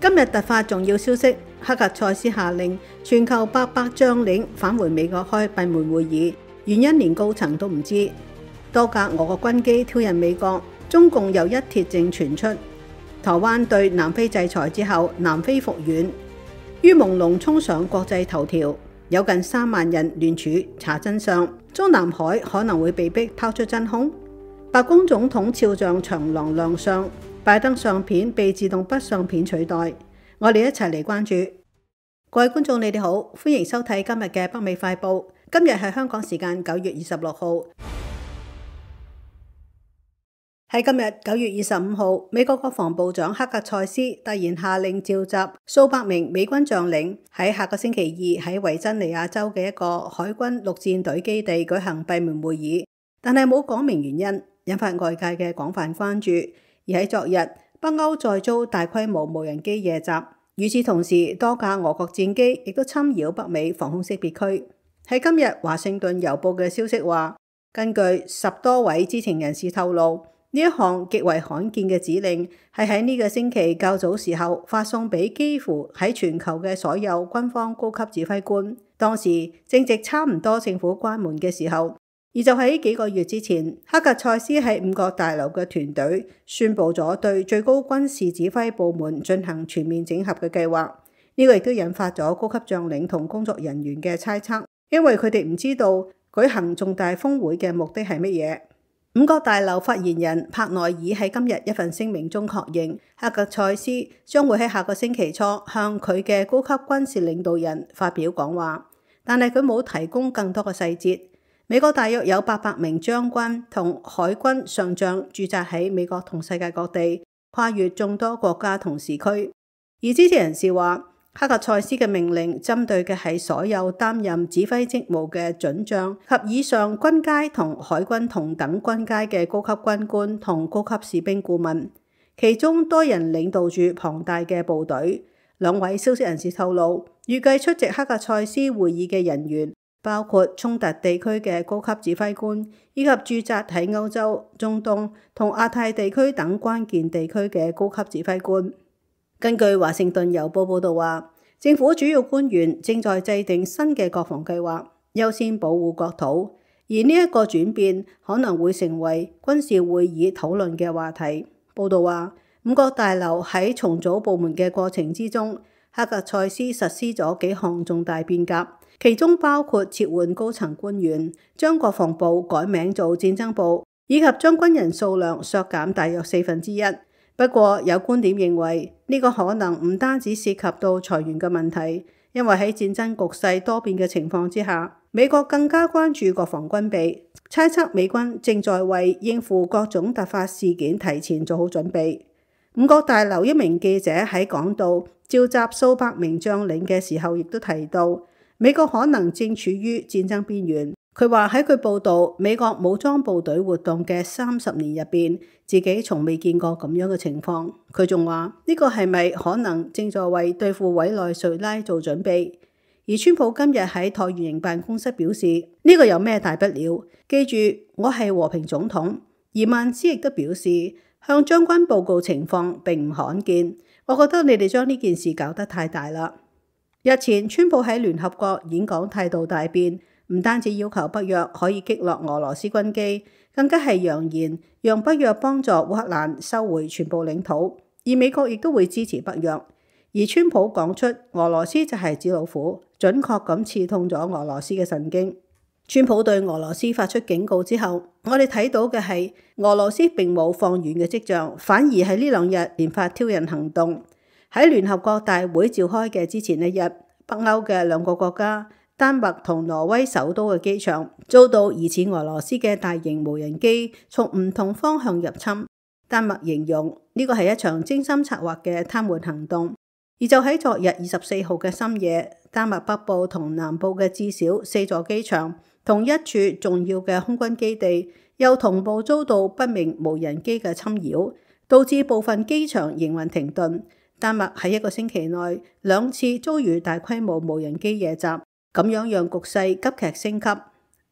今日突發重要消息，黑格塞斯下令全球800將領返回美國開閉門會議，原因連高層都唔知。多架俄國軍機挑釁美國，中共又一鐵證傳出。台灣對南非制裁之後，南非復原，於朦朧衝上國際頭條，有近3萬人聯署查真相。中南海可能會被逼拋出真空。白宮總統肖像長廊亮相，拜登相片被自動筆相片取代。我哋一齊嚟關注。各位觀眾，你哋好，歡迎收睇今日嘅北美快報。今日係香港時間9月26號。喺今日9月25號，美國國防部長黑格塞斯突然下令召集數百名美軍將領，喺下個星期二喺維珍尼亞州嘅一個海軍陸戰隊基地舉行閉門會議，但係冇講明原因，引發外界嘅廣泛關注。而喺昨日，北歐再遭大規模無人機夜襲，與此同時，多架俄國戰機亦都侵擾北美防空識別區。喺今日，華盛頓郵報嘅消息話，根據10多位知情人士透露，呢一項極為罕見嘅指令係喺呢個星期較早時候發送俾幾乎喺全球嘅所有軍方高級指揮官。當時正值差唔多政府關門嘅時候。而就喺幾個月之前，黑格塞斯喺5角大樓嘅團隊宣布咗對最高軍事指揮部門進行全面整合嘅計劃。呢個亦都引發咗高級將領同工作人員嘅猜測，因為佢哋唔知道舉行重大峰會嘅目的係乜嘢。5角大樓發言人帕內爾喺今日一份聲明中確認，黑格塞斯將會喺下個星期初向佢嘅高級軍事領導人發表講話，但係佢冇提供更多嘅細節。美國大約有800名將軍同海軍上將駐紮喺美國同世界各地，跨越眾多國家同時區。而知情人士話，黑格塞斯嘅命令針對嘅係所有擔任指揮職務嘅準將及以上軍階同海軍同等軍階嘅高級軍官同高級士兵顧問，其中多人領導住龐大嘅部隊。2位消息人士透露，預計出席黑格塞斯會議嘅人員包括衝突地區嘅高級指揮官，以及駐紮喺歐洲、中東同亞太地區等關鍵地區嘅高級指揮官。根據華盛頓郵報報導話，政府主要官員正在制定新嘅國防計劃，優先保護國土，而呢一個轉變可能會成為軍事會議討論嘅話題。報導話，5角大樓喺重組部門嘅過程之中，黑格塞斯實施咗幾項重大變革。其中包括撤換高層官員，將國防部改名做戰爭部，以及將軍人數量削減大約1/4。不過有觀點認為，呢個可能唔單止涉及到裁員嘅問題，因為喺戰爭局勢多變嘅情況之下，美國更加關注國防軍備，猜測美軍正在為應付各種突發事件提前做好準備。5角大樓一名記者喺講到召集數百名將領嘅時候，亦都提到，美國可能正處於戰爭邊緣。佢話喺佢報道美國武裝部隊活動嘅30年入邊，自己從未見過咁樣嘅情況。佢仲話呢個係咪可能正在為對付委內瑞拉做準備？而川普今日喺橢圓形辦公室表示，呢個有咩大不了？記住，我係和平總統。而曼斯亦都表示，向將軍報告情況並唔罕見。我覺得你哋將呢件事搞得太大啦。日前，川普喺聯合國演講態度大變，唔單止要求北約可以擊落俄羅斯軍機，更加係揚言讓北約幫助烏克蘭收回全部領土，而美國亦都會支持北約。而川普講出俄羅斯就係紙老虎，準確咁刺痛咗俄羅斯嘅神經。川普對俄羅斯發出警告之後，我哋睇到嘅係俄羅斯並冇放軟嘅跡象，反而喺呢2日連發挑釁行動。喺聯合國大會召開嘅之前1日，北歐嘅2個國家丹麥同挪威首都嘅機場遭到疑似俄羅斯嘅大型無人機從唔同方向入侵。丹麥形容呢個係一場精心策劃嘅癱瘓行動。而就喺昨日24號嘅深夜，丹麥北部同南部嘅至少4座機場同1處重要嘅空軍基地又同步遭到不明無人機嘅侵擾，導致部分機場營運停頓。丹麥喺1個星期內2次遭遇大規模無人機夜襲，咁樣讓局勢急劇升級。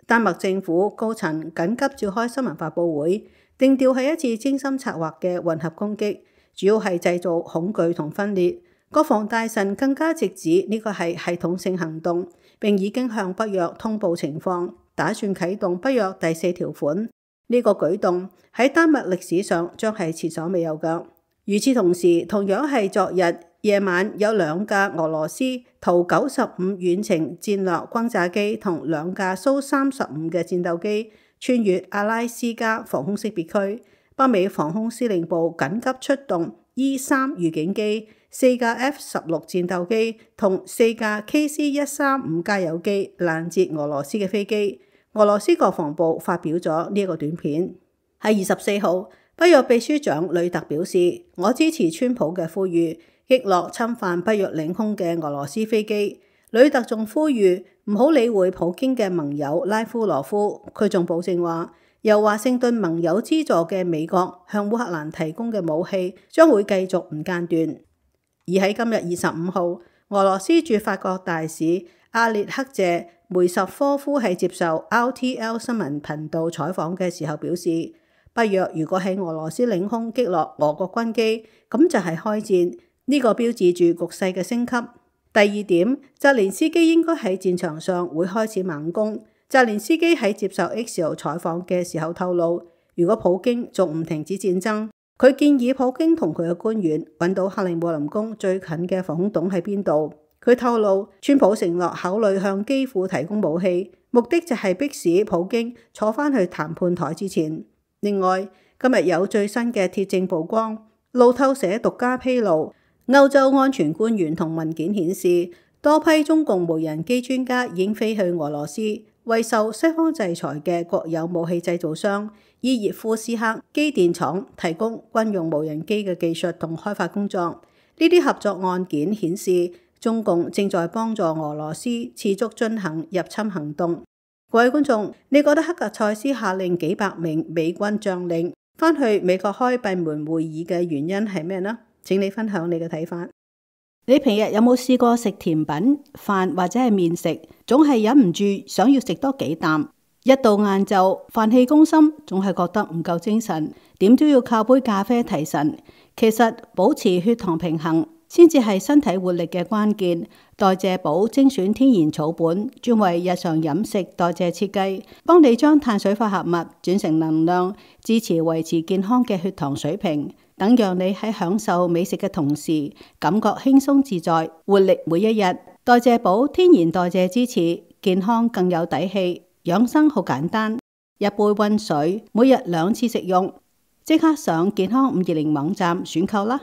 丹麥政府高層緊急召開新聞發佈會，定調係一次精心策劃嘅混合攻擊，主要係製造恐懼同分裂。國防大臣更加直指呢個係系統性行動，並已經向北約通報情況，打算啟動北約第4條款。呢個舉動喺丹麥歷史上將係前所未有嘅。與此同時，同樣係昨日夜晚，有2架俄羅斯圖95遠程戰略轟炸機同2架蘇35嘅戰鬥機穿越阿拉斯加防空識別區，北美防空司令部緊急出動 E3 預警機、4架 F-16 戰鬥機同4架 KC-135 加油機攔截俄羅斯嘅飛機。俄羅斯國防部發表咗呢個短片。喺24號，北約秘書長呂特表示：我支持川普嘅呼籲，擊落侵犯北約領空嘅俄羅斯飛機。呂特仲呼籲唔好理會普京嘅盟友拉夫羅夫。佢仲保證話，由華盛頓盟友資助嘅美國向烏克蘭提供嘅武器將會繼續唔間斷。而喺今日25號，俄羅斯駐法國大使阿列克謝梅什科夫喺接受 RTL 新聞頻道採訪嘅時候表示，北約如果喺俄羅斯領空擊落俄國軍機，咁就係開戰，呢個標誌住局勢嘅升級。第二點，澤連斯基應該喺戰場上會開始猛攻。澤連斯基喺接受 Axios 採訪嘅時候透露，如果普京仲唔停止戰爭，佢建議普京同佢嘅官員揾到克里姆林宮最近嘅防空洞喺邊度。佢透露，川普承諾考慮向基輔提供武器，目的就係迫使普京坐返去談判台之前。另外，今日有最新嘅鐵證曝光，路透社獨家披露，歐洲安全官員同文件顯示，多批中共無人機專家已經飛去俄羅斯，為受西方制裁嘅國有武器製造商伊熱夫斯克機電廠提供軍用無人機嘅技術同開發工作。呢啲合作案件顯示，中共正在幫助俄羅斯持續進行入侵行動。各位觀眾，你覺得克格塞斯下令幾百名美軍將領返去美國開閉門會議嘅原因係咩呢？請你分享你嘅睇法。你平日有冇試過食甜品、飯或者係麵食，總係忍唔住想要食多幾啖？一到晏晝，飯氣攻心，總係覺得唔夠精神，點都要靠杯咖啡提神。其實保持血糖平衡先至係身體活力嘅關鍵。代謝寶精選天然草本，專為日常飲食代謝設計，幫你將碳水化合物轉成能量，支持維持健康嘅血糖水平，等讓你喺享受美食嘅同時，感覺輕鬆自在，活力每一日。代謝寶天然代謝支持，健康更有底氣。養生好簡單，一杯溫水，每日2次食用。即刻上健康520網站選購啦！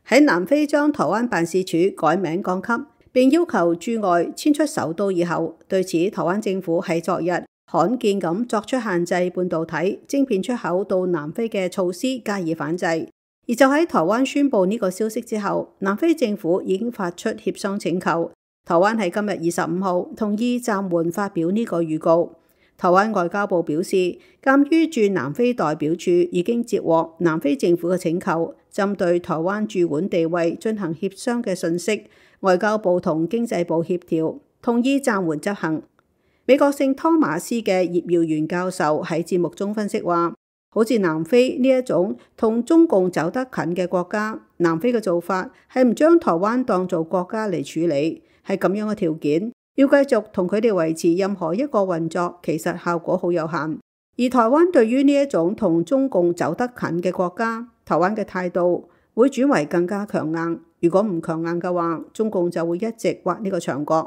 喺南非將台灣辦事處改名降級，並要求駐外遷出首都以後，對此台灣政府喺昨日罕見咁作出限制半導體晶片出口到南非嘅措施加以反制。而就喺台灣宣布呢個消息之後，南非政府已經發出協商請求。台灣喺今日25號同意暫緩發表呢個預告。台灣外交部表示，鑑於駐南非代表處已經接獲南非政府嘅請求，針對台灣駐館地位進行協商嘅訊息，外交部同經濟部協調，同意暫緩執行。美國聖湯馬斯嘅葉耀元教授喺節目中分析話，好似南非呢一種同中共走得近嘅國家，南非嘅做法係唔將台灣當做國家嚟處理，係咁樣嘅條件，要繼續同佢哋維持任何一個運作，其實效果好有限。而台灣對於呢一種同中共走得近嘅國家，台灣嘅態度會轉為更加強硬。如果唔強硬嘅話，中共就會一直挖呢個牆角。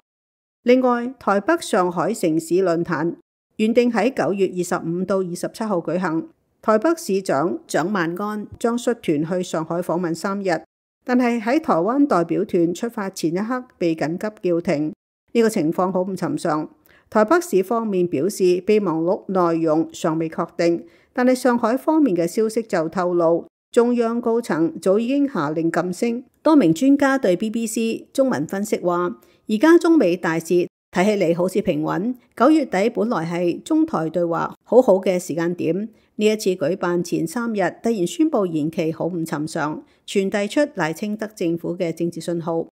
另外，台北上海城市論壇原定喺9月25到27號舉行，台北市長蔣萬安將率團去上海訪問3日，但係喺台灣代表團出發前一刻被緊急叫停。呢個情況好唔尋常。台北市方面表示備忘錄內容尚未確定，但係上海方面嘅消息就透露，中央高層早已經下令噤聲。多名專家對 BBC 中文分析話，而家中美大事睇起嚟好似平穩，9月底本來係中台對話好好嘅時間點，呢一次舉辦前3日突然宣布延期，好唔尋常，傳遞出賴清德政府嘅政治信號。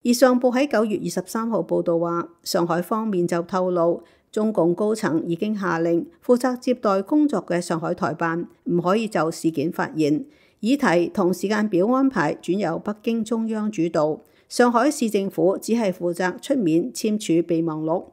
而上報喺9月23號報道話，上海方面就透露，中共高層已經下令負責接待工作嘅上海台辦唔可以就事件發言，議題同時間表安排轉由北京中央主導，上海市政府只係負責出面簽署備忘錄。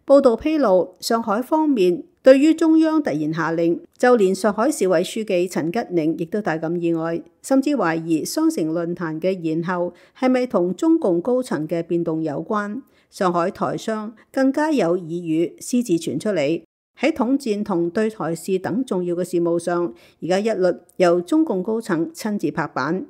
報道披露，上海方面對於中央突然下令，就連上海市委書記陳吉寧亦都大感意外，甚至懷疑雙城論壇嘅延後係咪同中共高層嘅變動有關。上海台商更加有耳語私自傳出嚟，喺統戰同對台事等重要嘅事務上，而家一律由中共高層親自拍板。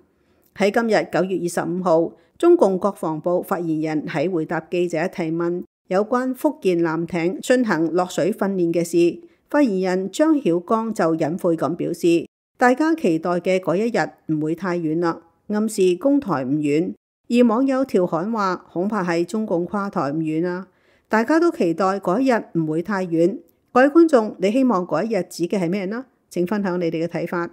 喺今日9月25號，中共國防部發言人喺回答記者提問有關福建艦艇進行落水訓練嘅事，發言人張曉光就隱晦咁表示，大家期待嘅嗰一日唔會太遠啦，暗示攻台唔遠。而網友調侃話，恐怕係中共跨台唔遠啊！大家都期待嗰一日唔會太遠。各位觀眾，你希望嗰一日指嘅係咩呢？請分享你哋嘅睇法。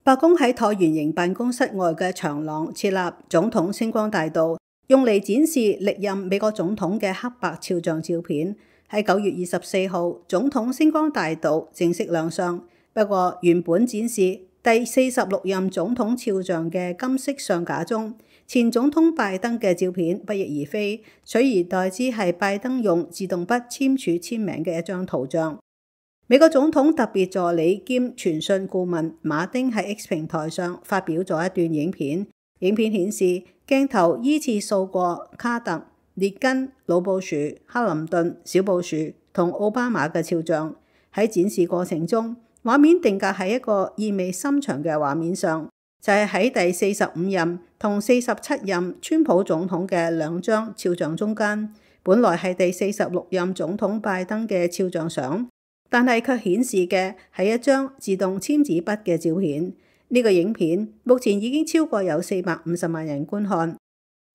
白宮喺橢圓形辦公室外嘅長廊設立總統星光大道，用嚟展示歷任美國總統嘅黑白肖像照片。喺9月24號，總統星光大道正式亮相。不過，原本展示第46任總統肖像嘅金色相架中，前總統拜登嘅照片不翼而飛，取而代之係拜登用自動筆簽署簽名嘅一張圖像。美國總統特別助理兼傳訊顧問馬丁喺 X 平台上發表咗一段影片，影片顯示鏡頭依次掃過卡特、列根、老布殊、克林頓、小布殊同奧巴馬嘅肖像。喺展示過程中，畫面定格喺一個意味深長嘅畫面上，就係喺第45任同47任川普總統嘅兩張肖像中間。本來係第46任總統拜登嘅肖像相，但係卻顯示嘅係一張自動簽紙筆嘅照片。呢個影片目前已經超過有450萬人觀看。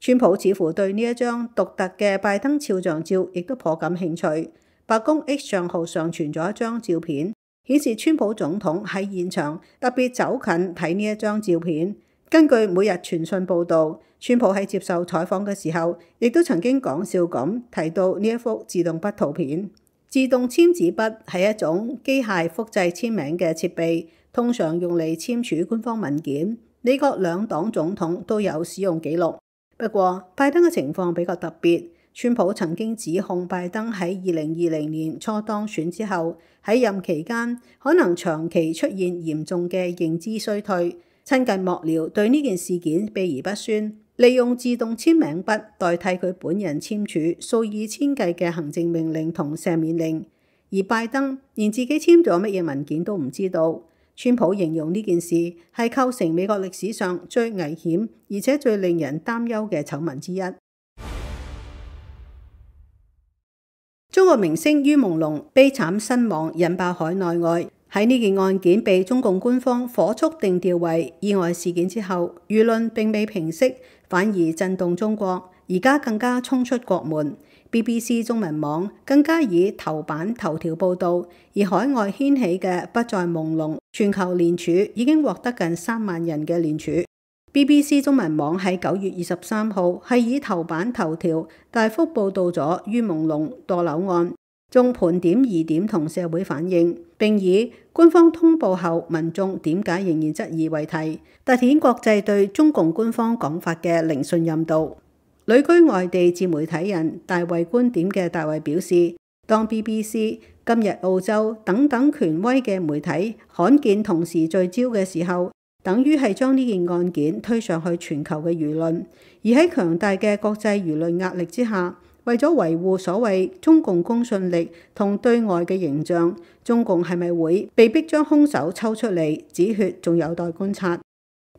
川普似乎對呢一張獨特嘅拜登肖像照亦都頗感興趣。白宮 X 帳號上傳咗一張照片，顯示川普總統喺現場特別走近睇呢一張照片。根據每日傳訊報導，川普喺接受採訪嘅時候，亦都曾經講笑咁提到呢一幅自動筆圖片。自動簽紙筆係一種機械複製簽名嘅設備，通常用嚟簽署官方文件。美國兩黨總統都有使用記錄。不過，拜登嘅情況比較特別。川普曾經指控拜登喺2020年初當選之後，喺任期間可能長期出現嚴重嘅認知衰退。親近幕僚對呢件事件避而不宣，利用自動簽名筆代替佢本人簽署數以千計嘅行政命令同赦免令，而拜登連自己簽咗乜嘢文件都唔知道。川普形容呢件事係構成美國歷史上最危險而且最令人擔憂嘅醜聞之一。中國明星于朦朧悲慘身亡，引爆海內外。喺呢件案件被中共官方火速定調為意外事件之後，輿論並未平息，反而震動中國，而家更加衝出國門。BBC 中文網更加以頭版頭條報導，而海外掀起嘅不再朦朧全球連署已經獲得近3萬人嘅連署。BBC 中文網喺9月23號係以頭版頭條大幅報導咗于朦朧墮樓案，仲盤點疑點同社會反應，並以官方通報後民眾點解仍然質疑為題，凸顯國際對中共官方講法嘅零信任度。旅居外地自媒體人大衛觀點嘅大衛表示，當 BBC、今日澳洲等等權威嘅媒體罕見同時聚焦嘅時候，等於係將呢件案件推上去全球嘅輿論，而喺強大嘅國際輿論壓力之下，為咗維護所謂中共公信力同對外嘅形象，中共係咪會被逼將兇手抽出嚟止血，仲有待觀察。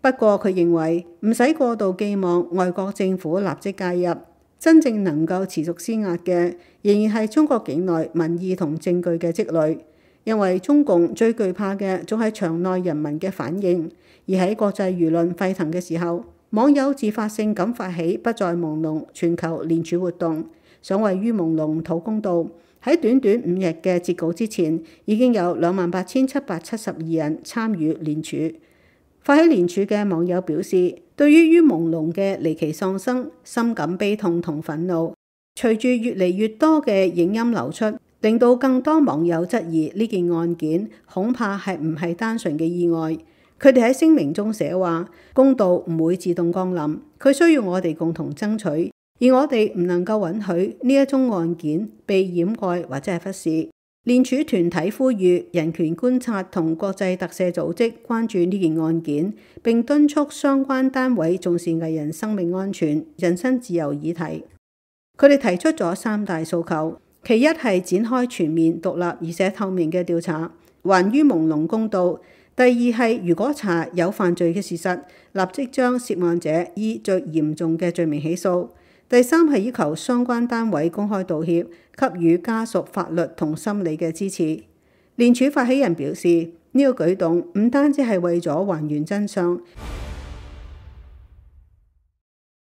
不過佢認為唔使過度寄望外國政府立即介入，真正能夠持續施壓嘅仍然係中國境內民意同證據嘅積累，因為中共最懼怕嘅仲係場內人民嘅反應。而喺國際輿論沸騰嘅時候，網友自發性咁發起不再朦朧全球連署活動，想為于朦朧討公道。喺短短5日嘅截稿之前，已經有28,772人參與連署。發起連署嘅網友表示，對於于朦朧嘅離奇喪生，深感悲痛同憤怒。隨住越嚟越多嘅影音流出，令到更多網友質疑呢件案件恐怕係唔係單純嘅意外。佢哋喺聲明中寫話，公道唔會自動降臨，佢需要我哋共同爭取，而我哋唔能夠允許呢一宗案件被掩蓋或者係忽視。聯署團體呼籲人權觀察同國際特赦組織關注呢件案件，並敦促相關單位重視藝人生命安全、人身自由議題。佢哋提出咗3大訴求。其一係展開全面、獨立而且透明嘅調查，還於朦朧公道。第二係如果查有犯罪嘅事實，立即將涉案者以最嚴重嘅罪名起訴。第三係要求相關單位公開道歉，給予家屬法律同心理嘅支持。聯署發起人表示，呢個舉動唔單止係為咗還原真相。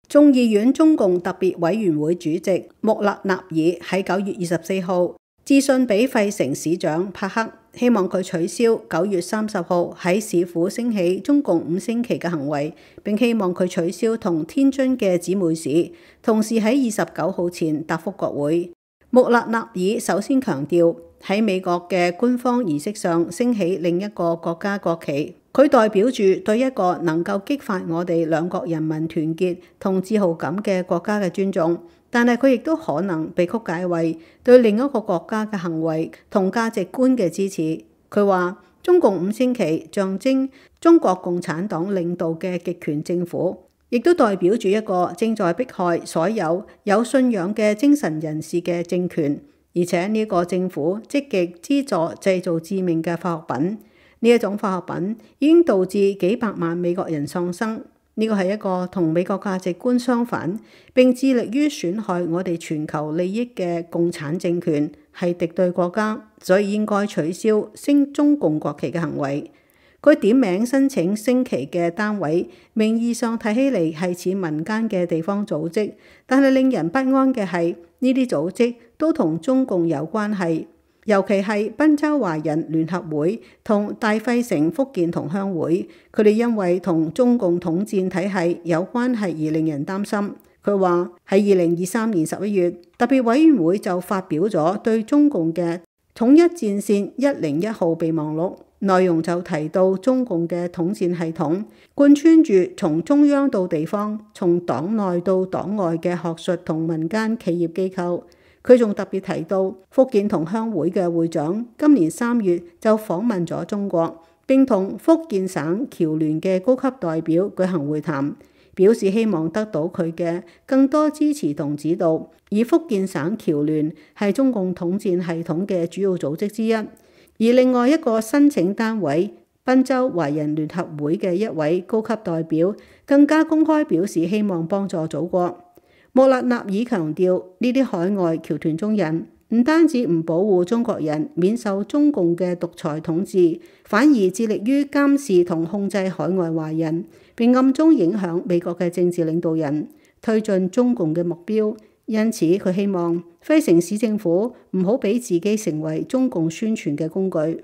眾議院中共特別委員會主席穆勒納爾喺9月24號致信俾費城市長帕克，希望佢取消9月30號喺市府升起中共5星旗嘅行為，並希望佢取消同天津嘅姊妹市，同時喺29號前答覆國會。穆勒納爾首先強調，喺美國嘅官方儀式上升起另一個國家國旗，佢代表住對一個能夠激發我哋兩國人民團結同自豪感嘅國家嘅尊重，但係佢亦都可能被曲解為對另一個國家嘅行為同價值觀嘅支持。佢話中共5星旗象徵中國共產黨領導嘅極權政府，亦都代表住一個正在迫害所有有信仰嘅精神人士嘅政權，而且呢個政府積極資助製造致命嘅化學品。呢一種化學品已經導致幾百萬美國人喪生。呢個係一個同美國價值觀相反，並致力於損害我哋全球利益嘅共產政權，係敵對國家，所以應該取消升中共國旗嘅行為。佢點名申請升旗嘅單位，名義上睇起嚟係似民間嘅地方組織，但係令人不安嘅係呢啲組織都同中共有關係，尤其係賓州華人聯合會同大費城福建同鄉會，佢哋因為同中共統戰體系有關係而令人擔心。佢話喺2023年11月，特別委員會就發表咗對中共嘅統一戰線101號備忘錄，內容就提到中共嘅統戰系統貫穿住從中央到地方、從黨內到黨外嘅學術同民間企業機構。佢仲特別提到福建同鄉會嘅會長今年3月就訪問咗中國，並同福建省僑聯嘅高級代表舉行會談，表示希望得到佢嘅更多支持同指導。而福建省僑聯係中共統戰系統嘅主要組織之一，而另外一個申請單位賓州華人聯合會嘅一位高級代表更加公開表示希望幫助祖國。穆勒納爾強調，呢啲海外僑團中人唔單止唔保護中國人免受中共嘅獨裁統治，反而致力於監視同控制海外華人，並暗中影響美國嘅政治領導人，推進中共嘅目標。因此，佢希望費城市政府唔好俾自己成為中共宣傳嘅工具。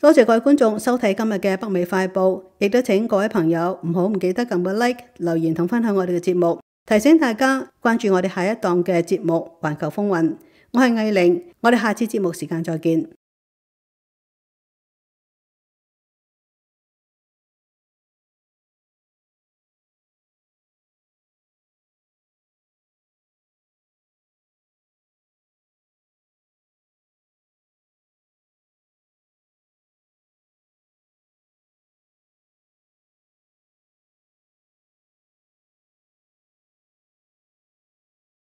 多謝各位觀眾收睇今日嘅北美快報，亦都請各位朋友唔記得撳個 like、留言同分享我哋嘅節目。提醒大家關注我哋下一檔嘅節目《環球風雲》，我係藝玲，我哋下次節目時間再見。